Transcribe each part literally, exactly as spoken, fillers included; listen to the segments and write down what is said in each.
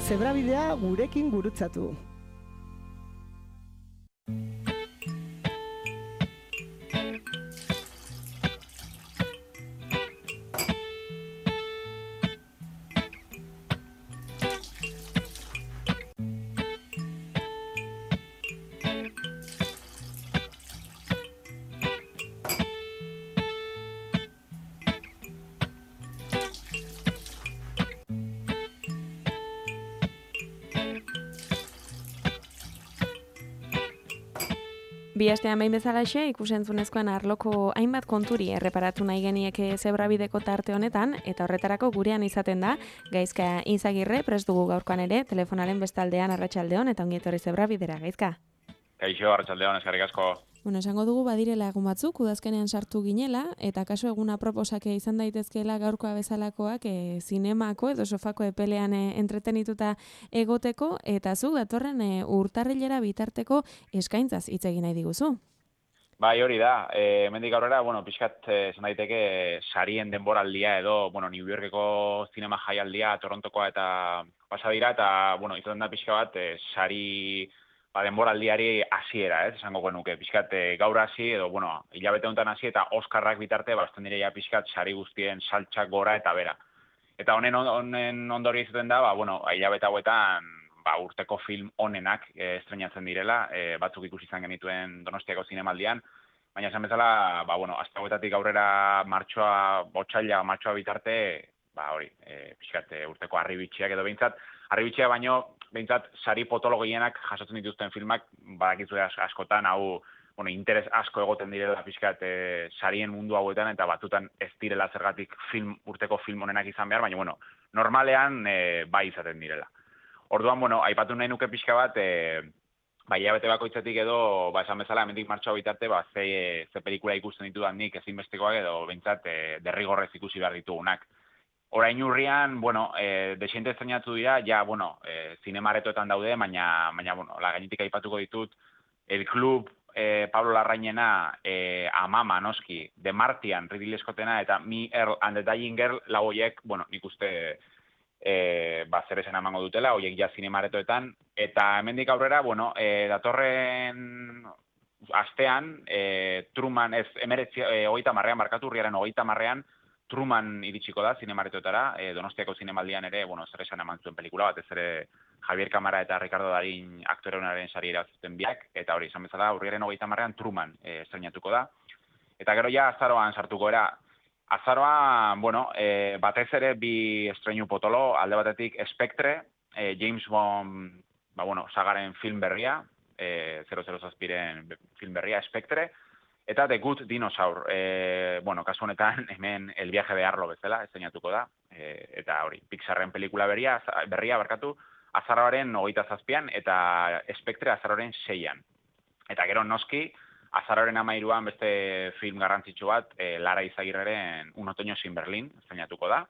Zebrabidea gurekin gurutzatu. Bi astean behin bezalaxe ikusentzunezkoen arloko hainbat konturi erreparatu nahi genieke Zebrabideko tarte honetan, eta horretarako gurean izaten da Gaizka Izagirre, prest dugu gaurkoan ere, telefonaren bestaldean arratsaldeon eta ongi etorri Zebrabidera, Gaizka. Kaixo, arratsaldeon, eskerrik asko. Bueno, esango dugu badirela egun batzuk, udazkenean sartu ginela, eta kaso eguna proposake izan daitezkeela gaurkoa bezalakoak e, zinemako edo sofako epelean e, entretenituta egoteko, eta zu datorren e, urtarrilera bitarteko eskaintzaz hitz egin nahi diguzu. Bai, hori da. E, hemendik aurrera, bueno, pixkat esan daiteke sarien denboraldia edo, bueno, New Yorkeko zinema jaialdia, Torontokoa eta pasa dira, eta, bueno, izaten da pixka bat, e, sari ba, denboraldiari hasiera, ez, esango genuke, pixkat e, gaur hasi, edo, bueno, hilabete honetan hasi, eta Oskarrak bitarte, bazten direia pixkat sari guztien saltxak gora eta bera. Eta honen, honen ondori izaten da, ba, bueno, hilabete hauetan, ba, urteko film onenak e, estrenatzen direla, e, batzuk ikusi izan genituen Donostiako zinemaldian, baina esan bezala, ba, bueno, azte hauetatik aurrera martxoa, otsaila, martxoa bitarte, ba, hori, e, pixkat e, urteko harribitxiak edo behintzat, harribitxia baino, behintzat, sari potolo gehienak jasotzen dituzten filmak, badakizue askotan, hau, bueno, interes asko egoten direla pixkat e, sarien mundu hauetan, eta batutan ez direla zergatik film, urteko film honenak izan behar, baina, bueno, normalean e, bai izaten direla. Orduan, bueno, aipatu nahi nuke pixka bat, e, ba, hilabete bakoitzetik edo, ba, esan bezala, hemendik martxoa bitarte, ba, ze, ze pelikula ikusten ditudan nik ezinbestekoak edo, behintzat, e, derrigorrez ikusi behar ditugunak. Orain urrian, bueno, e, desiente estrenatu dira, ja, bueno, e, zinemaretoetan daude, baina, baina, bueno, la gainetik aipatuko ditut, El Club, e, Pablo Larrainena, e, Amama, noski, The Martian, Ridley Scottena, eta Me, Earl and the Dying Girl, lau horiek, bueno, nik uste, e, ba, zer esan emango dutela, horiek ja zinemaretoetan, eta hemendik aurrera, bueno, e, datorren astean, e, Truman, ez, emeretzi, e, hogeita marrean, markatu urriaren hogeita marrean, Truman iritsiko da zinemaretoetara, e, Donostiako zinemaldian ere, bueno, zer esan eman zuen pelikula bat, ez ere Javier Camara eta Ricardo Darín aktore honaren sari irazten biak, eta hori, esan bezala, urriaren hogeita marrean Truman e, estrenatuko da. Eta gero ja azaroan sartuko era. Azaroan, bueno, e, batez ere bi estreinu potolo, alde batetik Spectre, e, James Bond, ba, bueno, sagaren film berria, e, zero zero zazpiren film berria, Spectre, eta The Good Dinosaur, e, bueno, kasu honetan hemen El viaje de Arlo bezala estrenatuko da, e, eta hori, Pixarren pelikula berria, berria barkatu, azaroaren hogeita zazpian, eta Spectre azaroaren seian. Eta gero noski, azaroaren amairuan beste film garrantzitsu bat, e, Lara Izagirreren Un otoño sin Berlín estrenatuko da.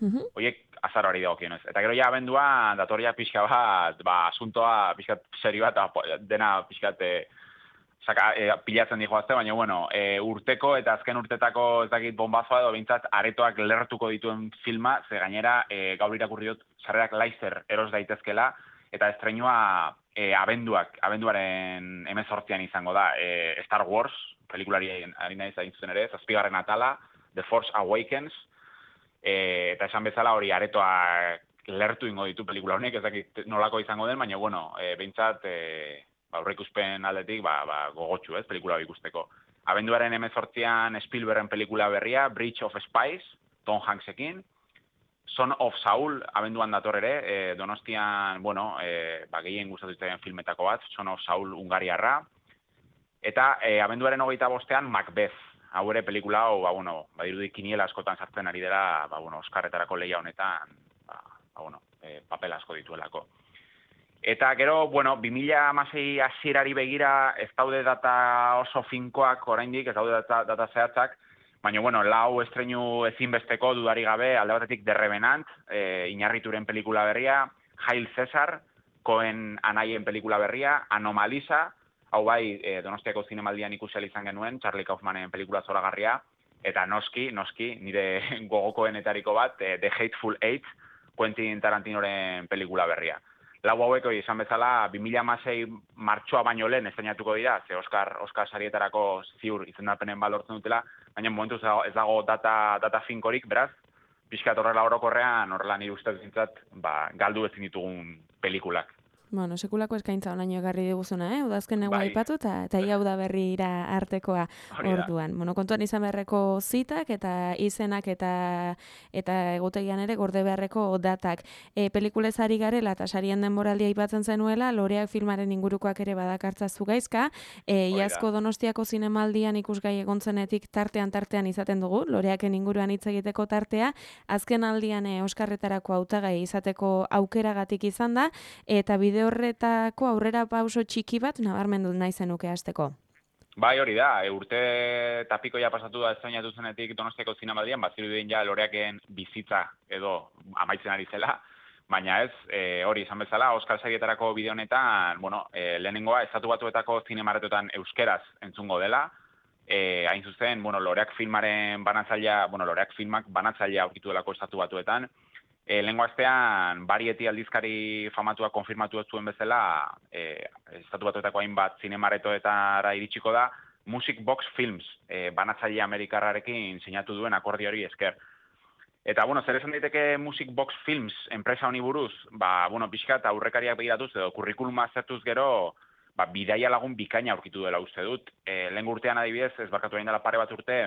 Uh-huh. Oiek azaroari dagokionez. Eta gero ja abenduan datoria pixka bat, ba, asuntoa pixkat serio bat, dena pixkat e, Saka, e, pilatzen dihoazte, baina, bueno, e, urteko eta azken urtetako ez dakit bombazoa edo behintzat aretoak lertuko dituen filma, ze gainera e, gaur irakurri dut sarrerak laizer eros daitezkela, eta estreinua e, abenduak, abenduaren hemezortzian izango da. E, Star Wars, pelikulari ari nahi zain zuten ere, zazpigarren atala, The Force Awakens, e, eta esan bezala hori aretoak lertu ingo ditu pelikula honek, ez dakit nolako izango den, baina, bueno, e, behintzat... E, ba, aurreikuspen aldetik, ba, ba, gogotsu, ez, pelikula ikusteko. Abenduaren hemezortzian Spielbergen pelikula berria, Bridge of Spies, Tom Hanksekin, Son of Saul, abenduan dator ere, e, Donostian, bueno, e, ba, gehien gustatu zitzaidan filmetako bat, Son of Saul Hungariarra, eta e, abenduaren hogeita bostean Macbeth, hau ere pelikula, hau, ba, bueno, badirudi kiniela askotan sartzen ari dela, ba, bueno, Oskarretarako lehia honetan, ba, ba, bueno, e, papel asko dituelako. Eta gero, bueno, bi mila hamasei hasierari begira ez daude data oso finkoak oraindik, ez daude data, data zehatzak, baina, bueno, lau estreinu ezinbesteko dudari gabe, alde batetik The Revenant, e, Iñarrituren pelikula berria, Hail Cesar, Coen anaien pelikula berria, Anomalisa, hau bai, e, Donostiako zinemaldian ikusi izan genuen, Charlie Kaufmanen pelikula zoragarria, eta noski, noski, nire gogokoenetariko bat, e, The Hateful Eight, Quentin Tarantinoren pelikula berria. Lau hauek hori esan bezala, bi mila hamasei martxoa baino lehen estreinatuko dira, ze Oscar, Oscar sarietarako ziur izendapenen balortzen dutela, baina momentu ez dago, ez dago data, data finkorik, beraz, pixkat horrela orokorrean, horrela nire ustez zintzat, ba, galdu ezin ditugun pelikulak. Bueno, sekulako eskaintza onaino egarri diguzuna, eh? Udazken egu Bai. aipatu, eta eta hau da berrira artekoa Hori da. orduan. Bueno, kontuan izan beharreko zitak eta izenak eta eta egutegian ere gorde beharreko datak. E, pelikulez ari garela eta sarien denboraldia aipatzen zenuela, Loreak filmaren ingurukoak ere badakartza zugaizka. E, Hori da. iazko Donostiako zinemaldian ikusgai egon zenetik tartean tartean izaten dugu, Loreaken inguruan hitz egiteko tartea, azken aldian e, Oskarretarako hautagai izateko aukeragatik izan da, eta bide horretako aurrera pauso txiki bat nabarmendu nahi zenuke hasteko. Bai, hori da, e, urte tapiko ja pasatu da estrainatu zenetik Donostiako zinemaldian, bazirudien ja Loreaken bizitza edo amaitzen ari zela, baina ez, e, hori izan bezala, Oscar sarietarako bide honetan, bueno, e, lehenengoa, Estatu Batuetako zinemaretotan euskeraz entzungo dela, e, hain zuzen, bueno, Loreak filmaren banatzailea, bueno, Loreak filmak banatzailea aurkitu delako Estatu Batuetan. E, lehenko astean, Variety aldizkari famatua konfirmatu ez zuen bezala, e, Estatu Batuetako hainbat zinemaretoetara iritsiko da, Music Box Films, e, banatzaile amerikarrarekin sinatu duen akordio hori esker. Eta, bueno, zer esan daiteke Music Box Films enpresa honi buruz, ba, bueno, pixka eta aurrekariak begiratuz edo kurrikuluma aztertuz gero, ba, bidaia lagun bikaina aurkitu dela uste dut. E, lehen urtean adibidez, ez barkatu egin dela pare bat urte,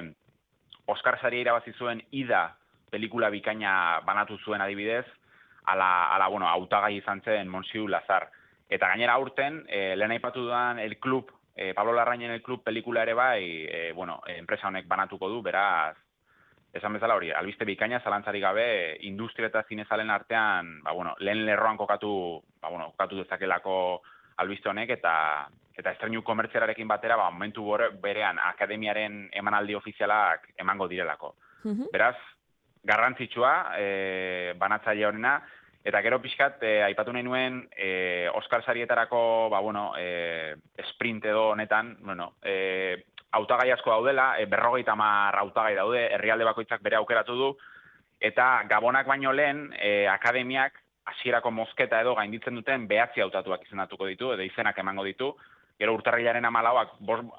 Oscar saria irabazi zuen Ida pelikula bikaina banatu zuen adibidez, ala, ala bueno, hautagai izan zen Monsieur Lazar. Eta gainera aurten, e, lehen aipatu dudan El Club, e, Pablo Larrainen El Club pelikula ere bai, e, bueno, enpresa honek banatuko du, beraz, esan bezala hori, albiste bikaina, zalantzari gabe, industria eta zinezalen artean, ba, bueno, lehen lerroan kokatu, ba, bueno, kokatu dezakelako albiste honek, eta eta estreinu komertzialarekin batera, ba, momentu berean akademiaren emanaldi ofizialak emango direlako. Mhm. Beraz, garrantzitsua, e, banatzaile horrena, eta gero pixkat, e, aipatu nahi nuen, e, Oscar sarietarako, ba, bueno, e, sprint edo honetan, bueno, e, hautagai asko daudela, e, berrogeita hamar hautagai daude, herrialde bakoitzak bere aukeratu du, eta gabonak baino lehen, e, akademiak hasierako mozketa edo gainditzen duten behatzi hautatuak izendatuko ditu, edo izenak emango ditu, gero urtarrilaren hamalauak,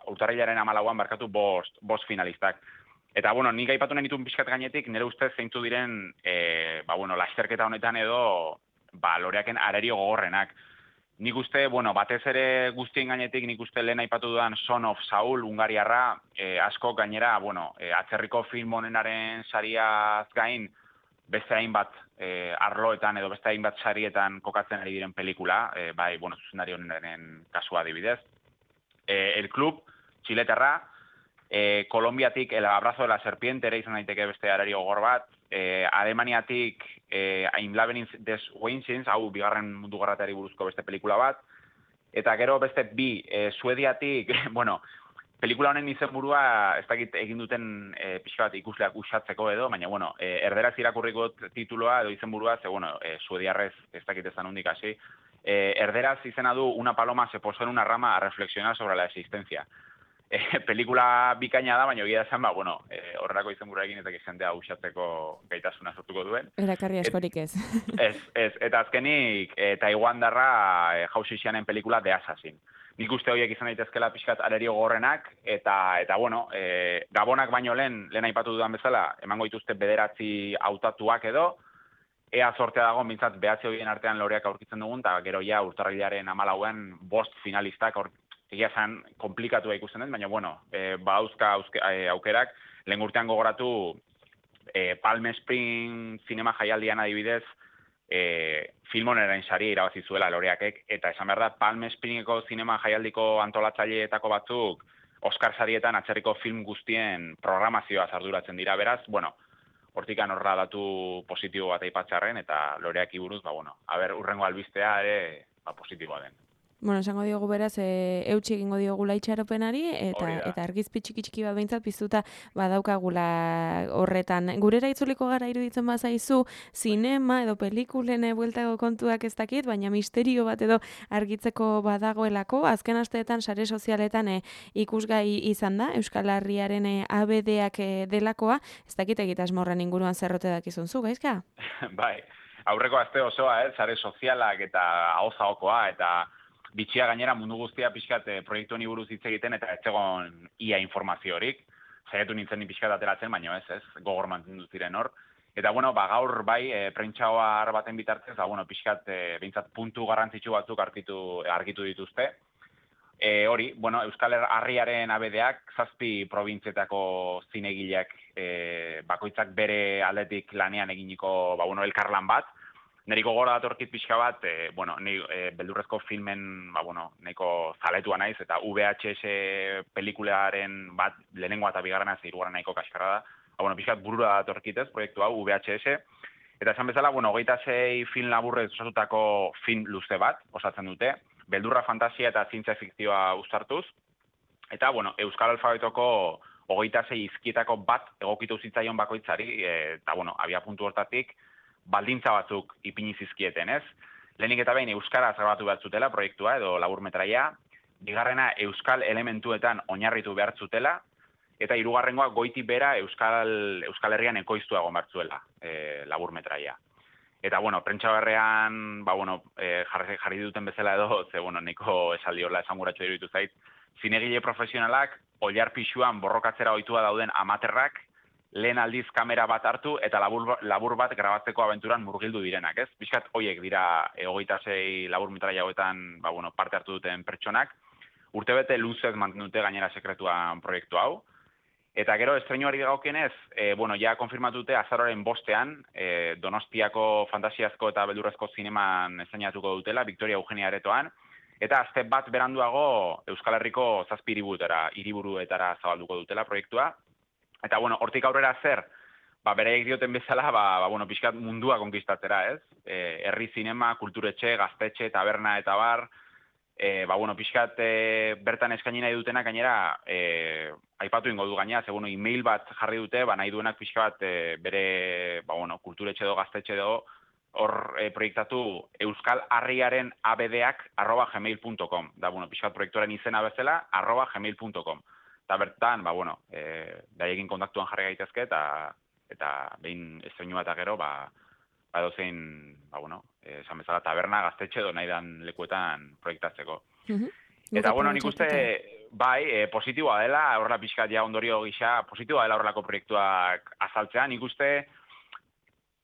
urtarrilaren hamalauan barkatu bost, bost finalistak. Eta, bueno, nik aipatu nahi ditun pixkat gainetik, nire ustez zeintzu diren, e, ba, bueno, lasterketa honetan edo, ba, Loreaken arerio gogorrenak. Nik uste, bueno, batez ere guztien gainetik, nik uste lehen aipatu dudan Son of Saul, Hungariarra, e, asko gainera, bueno, e, atzerriko film honenaren sariaz gain, beste hainbat e, arloetan edo beste hainbat sarietan kokatzen ari diren pelikula, e, bai, bueno, zuzendari honenen kasua adibidez. E, El Club, txiletarra, E, Kolombiatik El Abrazo de la Serpiente ere izan daiteke beste arario gogor bat, e, Alemaniatik e, Im Labyrinth des Weinsteins, hau bigarren mundu gerrateari buruzko beste pelikula bat, eta gero beste bi, e, Suediatik, bueno, pelikula honen izenburua ez dakit egin duten e, pixka bat ikusleak usatzeko edo, baina, bueno, e, erderaz irakurriko tituloa edo izenburua, ze, bueno, e, suediarrez ez dakit ezan hundik hasi, e, erderaz izena du Una paloma se posó en una rama a reflexionar sobre la existencia. E, pelikula bikaina da, baina egia esan, ba, bueno, e, horrelako izenburuarekin eta jendea usatzeko gaitasuna sortuko duen. Erakarri askorik ez. Ez, ez, eta azkenik, e, Taiwandarra e, Hausixianen pelikula The Assassin. Nik uste horiek izan daitezkela pixkat arerio gorrenak, eta, eta bueno, e, gabonak baino lehen, lehen aipatu dudan bezala, emango dituzte bederatzi hautatuak edo, ea sortea dago, mintzat, behatzi horien artean Loreak aurkitzen dugun, eta gero ja urtarrilaren hamalauan bost finalistak aurkitzen. Egia zan, komplikatua ikusten den, baina, bueno, e, badauzka e, aukerak, lehen urtean gogoratu e, Palm Spring zinema jaialdian adibidez, e, filmoneren sari irabazi zuela Loreakek, eta esan behar da, Palm Springeko zinema jaialdiko antolatzaileetako batzuk Oscar sarietan atzerriko film guztien programazioa arduratzen dira, beraz, bueno, hortikan horra datu positibo bat aipatzarren, eta Loreaki buruz, ba, bueno, haber, urrengo albistea ere, ba, positiboa den. Bueno, esango diogu beraz, e, eutxi egingo diogu itxaropenari, eta eta argizpi txiki txiki bat behintzat piztuta badaukagula horretan. Gurera itzuliko gara iruditzen bazaizu, zinema edo pelikulen bueltago kontuak ez dakit, baina misterio bat edo argitzeko badagoelako, azken asteetan sare sozialetan e, ikusgai izan da, Euskal Herriaren e, A B D-ak e, delakoa, ez dakit egitasmorren inguruan zerrote dakizun zu, gaizka? Bai. aurreko aste osoa, eh, sare sozialak eta ahozaokoa eta bitxia gainera mundu guztia pixkat eh, proiektu honi buruz hitz egiten eta ez zegoen ia informaziorik. Saiatu nintzen ni pixkat ateratzen, baina ez, ez, gogor mantendu ziren hor. Eta bueno, ba gaur bai e, prentsaoar baten bitartez, ba bueno, pixkat e, behintzat puntu garrantzitsu batzuk argitu argitu dituzte. E, hori, bueno, Euskal Herriaren abedeak zazpi probintzietako zinegileak e, bakoitzak bere aldetik lanean eginiko, ba bueno, elkarlan bat. Neriko gora datorkit pixka bat, e, bueno, ni e, beldurrezko filmen, ba bueno, nahiko zaletua naiz eta V H S pelikularen bat lehenengoa eta bigarrena ze hirugarrena nahiko kaskarra da. Ba, bueno, pixkat burura datorkitez, proiektu hau V H S. Eta esan bezala, bueno, hogeita sei film laburrez osatutako film luze bat, osatzen dute, beldurra, fantasia eta zientzia fikzioa uztartuz. Eta, bueno, Euskal Alfabetoko hogeita sei hizkietako bat egokitu zitzaion bakoitzari, eta, bueno, abia puntu hortatik, baldintza batzuk ipini zizkieten, ez? Lehenik eta behin euskaraz grabatu behar zutela proiektua edo laburmetraia, bigarrena euskal elementuetan oinarritu behar zutela, eta hirugarrengoa goiti bera Euskal, Euskal Herrian ekoiztua egon behar zuela e, laburmetraia. Eta, bueno, prentsa berrean, ba, bueno, e, jarri, jarri duten bezala edo, ze, bueno, neko esaldi horla esanguratxo diruditu zait, zinegile profesionalak, oilar pixuan borrokatzera ohitua dauden amaterrak, lehen aldiz kamera bat hartu eta labur, labur bat grabatzeko abenturan murgildu direnak, ez? Bizkat hoiek dira e, hogeita sei laburmetraia hauetan, ba, bueno, parte hartu duten pertsonak, urtebete luzez mantendute gainera sekretuan proiektu hau. Eta gero estreinuari dagokionez, e, bueno, ja konfirmatute azaroaren bostean, e, Donostiako fantasiazko eta beldurrezko zineman estrenatuko dutela, Victoria Eugenia aretoan, eta azte bat beranduago Euskal Herriko zazpi hiriburuetara, hiriburuetara zabalduko dutela proiektua. Eta, bueno, hortik aurrera zer, ba, bereiek dioten bezala, ba, ba, bueno, pixkat mundua konkistatzera, ez? E, herri zinema, kulturetxe, gaztetxe, taberna eta bar, e, ba, bueno, pixkat e, bertan eskaini nahi dutenak gainera, e, aipatu ingo du gainera, ze, bueno, email bat jarri dute, ba, nahi duenak pixkat e, bere, ba, bueno, kulturetxe edo, gaztetxe edo, hor e, proiektatu Euskal Harriaren abedeak arroba gmail punto com. Da, bueno, pixkat proiektuaren izena bezala, arroba gmail punto com. Eta bertan, ba, bueno, e, daiekin kontaktuan jarri gaitezke, eta, eta behin estreinua eta gero, ba, ba dozein, ba, bueno, esan bezala taberna, gaztetxe edo nahi dan lekuetan proiektatzeko. Mm-hmm. Eta, bueno, nik uste, bai, e, positiboa dela, horrela pixkat ja ondorio gisa, positiboa dela horrelako proiektuak azaltzea, nik uste,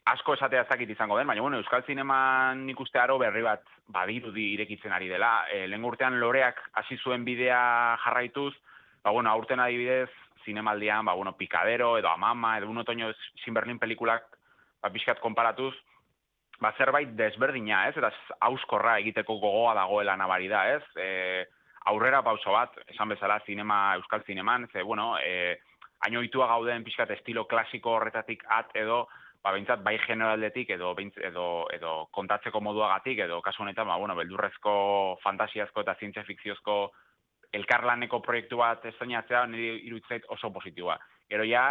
asko esatea ez dakit izango den, baina, bueno, Euskal Zineman nik uste aro berri bat badirudi irekitzen ari dela. E, lehen urtean loreak hasi zuen bidea jarraituz, ba, bueno, aurten adibidez, zinemaldian, ba, bueno, Pikadero, edo Amama, edo Un otoño sin Berlin pelikulak, ba, pixkat konparatuz, ba, zerbait desberdina, ez? Eta hauskorra egiteko gogoa dagoela nabari da, ez? E, aurrera pauso bat, esan bezala, zinema, Euskal Zineman, ze, bueno, e, haino ohitua gauden pixkat estilo klasiko horretatik at edo, ba, behintzat, bai generaldetik edo, edo, edo kontatzeko moduagatik, edo kasu honetan, ba, bueno, beldurrezko, fantasiazko eta zientzia fikziozko elkarlaneko proiektu bat estreinatzea niri iruditzait oso positiboa. Gero ja,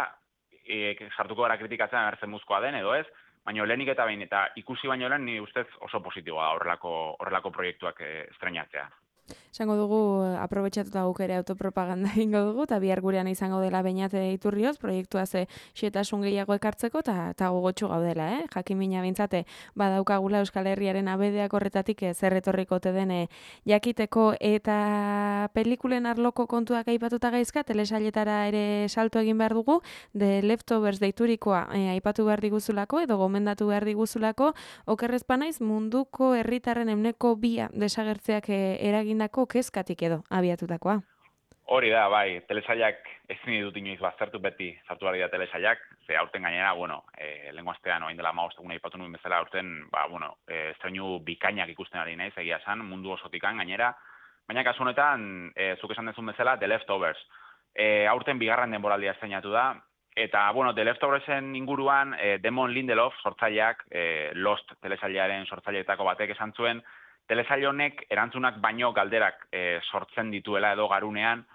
e, sartuko gara kritikatzen agertzen muzkoa den edo ez, baina lehenik eta behin eta ikusi baino lehen ni ustez oso positiboa horrelako, horrelako proiektuak estreinatzea. Esango dugu, aprobetxatuta guk ere autopropaganda egingo dugu, eta bihar gurean izango dela Beñat Iturrioz, proiektua ze xetasun gehiago ekartzeko, eta gogotsu gaudela, eh? Jakimina bintzate, badaukagula Euskal Herriaren abedeak horretatik zer etorrikote den jakiteko, eta pelikulen arloko kontuak aipatuta gaizka, telesailetara ere salto egin behar dugu, The Leftovers deiturikoa e, aipatu behar diguzulako, edo gomendatu behar diguzulako, okerrezpanaiz munduko herritarren euneko bia desagertzeak e, eragin dako kezkatik edo abiatutakoa. Hori da, bai, telesailak ezin dut inoiz baztertu beti sartu behar dira telesailak, ze aurten gainera, bueno, e, lehenko astean orain dela hamabost egun aipatu nuen bezala aurten, ba, bueno, e, estreinu bikainak ikusten ari naiz, egia esan, mundu osotikan gainera, baina kasu honetan, e, zuk esan dezun bezala, The Leftovers. E, aurten bigarren denboraldia estreinatu da, eta, bueno, The Leftoversen inguruan, e, Damon Lindelof sortzaileak, e, Lost telesailaren sortzaileetako batek esan zuen, telesail honek erantzunak baino galderak e, sortzen dituela edo garunean,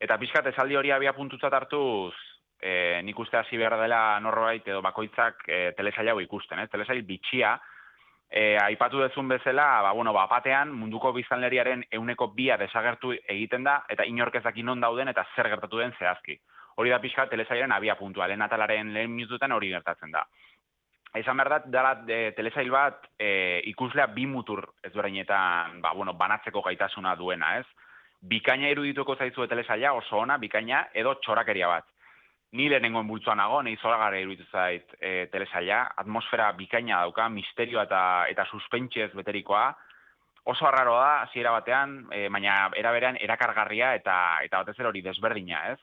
eta pixkat esaldi hori abia puntutzat hartuz, e, nik uste hasi behar dela norbait edo bakoitzak e, telesail hau ikusten, ez? Telesail bitxia, e, aipatu dezun bezala, ba, bueno, ba, batean munduko biztanleriaren euneko bia desagertu egiten da, eta inork ez daki non dauden eta zer gertatu den zehazki. Hori da pixkat telesailaren abia puntua, lehen atalaren lehen minututan hori gertatzen da. Esan behar dat, dara e, telesail bat e, ikuslea bi mutur ezberdinetan ba, bueno, banatzeko gaitasuna duena, ez? Bikaina irudituko zaizue telesaila oso ona, bikaina edo txorakeria bat. Ni lehenengoen bultzoan nago, nahi zoragarra iruditu zait e, telesaila, atmosfera bikaina dauka, misterioa eta, eta suspentsiez beterikoa, oso arraro da, hasiera batean, e, baina eraberean erakargarria eta eta batez ere hori desberdina, ez?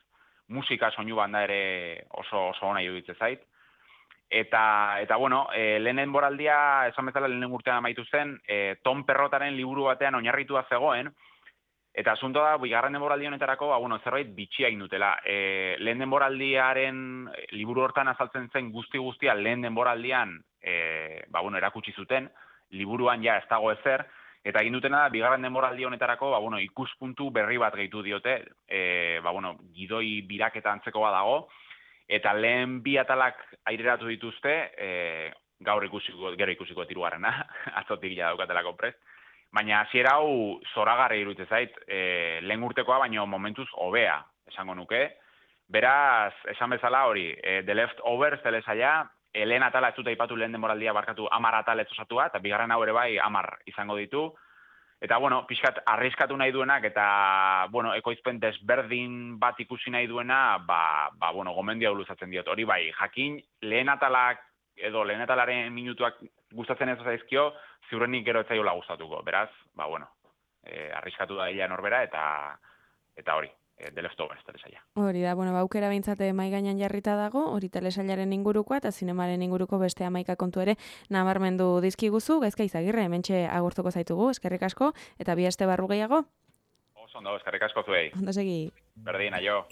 Musika soinu banda ere oso oso ona iruditzen zait. Eta, eta bueno, e, lehen denboraldia, esan bezala lehen urtean amaitu zen, e, Tom Perrotaren liburu batean oinarritua zegoen, eta asunto da, bigarren denboraldi honetarako, ba, bueno, zerbait bitxia egin dutela. E, lehen denboraldiaren liburu hortan azaltzen zen guzti-guztia lehen denboraldian e, ba, bueno, erakutsi zuten, liburuan ja ez dago ezer, eta egin dutena da, bigarren denboraldi honetarako, ba, bueno, ikuspuntu berri bat gehitu diote, e, ba, bueno, gidoi biraketa antzeko badago, eta lehen bi atalak aireratu dituzte, e, gaur ikusiko, gero ikusiko tirugarrena, atzotik ja daukatelako prest, baina hasiera hau zoragarri iruditzen zait, e, lehen urtekoa, baino momentuz hobea, esango nuke. Beraz, esan bezala hori, e, The Leftovers telesaila, e, lehen atala ez dut aipatu lehen denboraldia barkatu hamar atal ez osatua, eta bigarren hau ere bai hamar izango ditu. Eta, bueno, pixkat arriskatu nahi duenak, eta, bueno, ekoizpen desberdin bat ikusi nahi duena, ba, ba bueno, gomendia luzatzen diot. Hori bai, jakin, lehen atalak, edo lehen atalaren minutuak gustatzen ez zaizkio, ziurrenik gero etzaiola gustatuko. Beraz, ba, bueno, e, arriskatu da hila norbera, eta, eta hori, e, The Leftovers telesaila. Hori da, bueno, baukera bintzate mai gainan jarrita dago, hori telesailaren ingurukoa, eta zinemaren inguruko beste hamaika kontu ere nabarmendu dizkiguzu, Gaizka Izagirre, hementxe agurtuko zaitugu, eskerrik asko, eta bi aste barru gehiago. Oso ondo, eskerrik asko zuei. Ondo segi. Berdin, aio.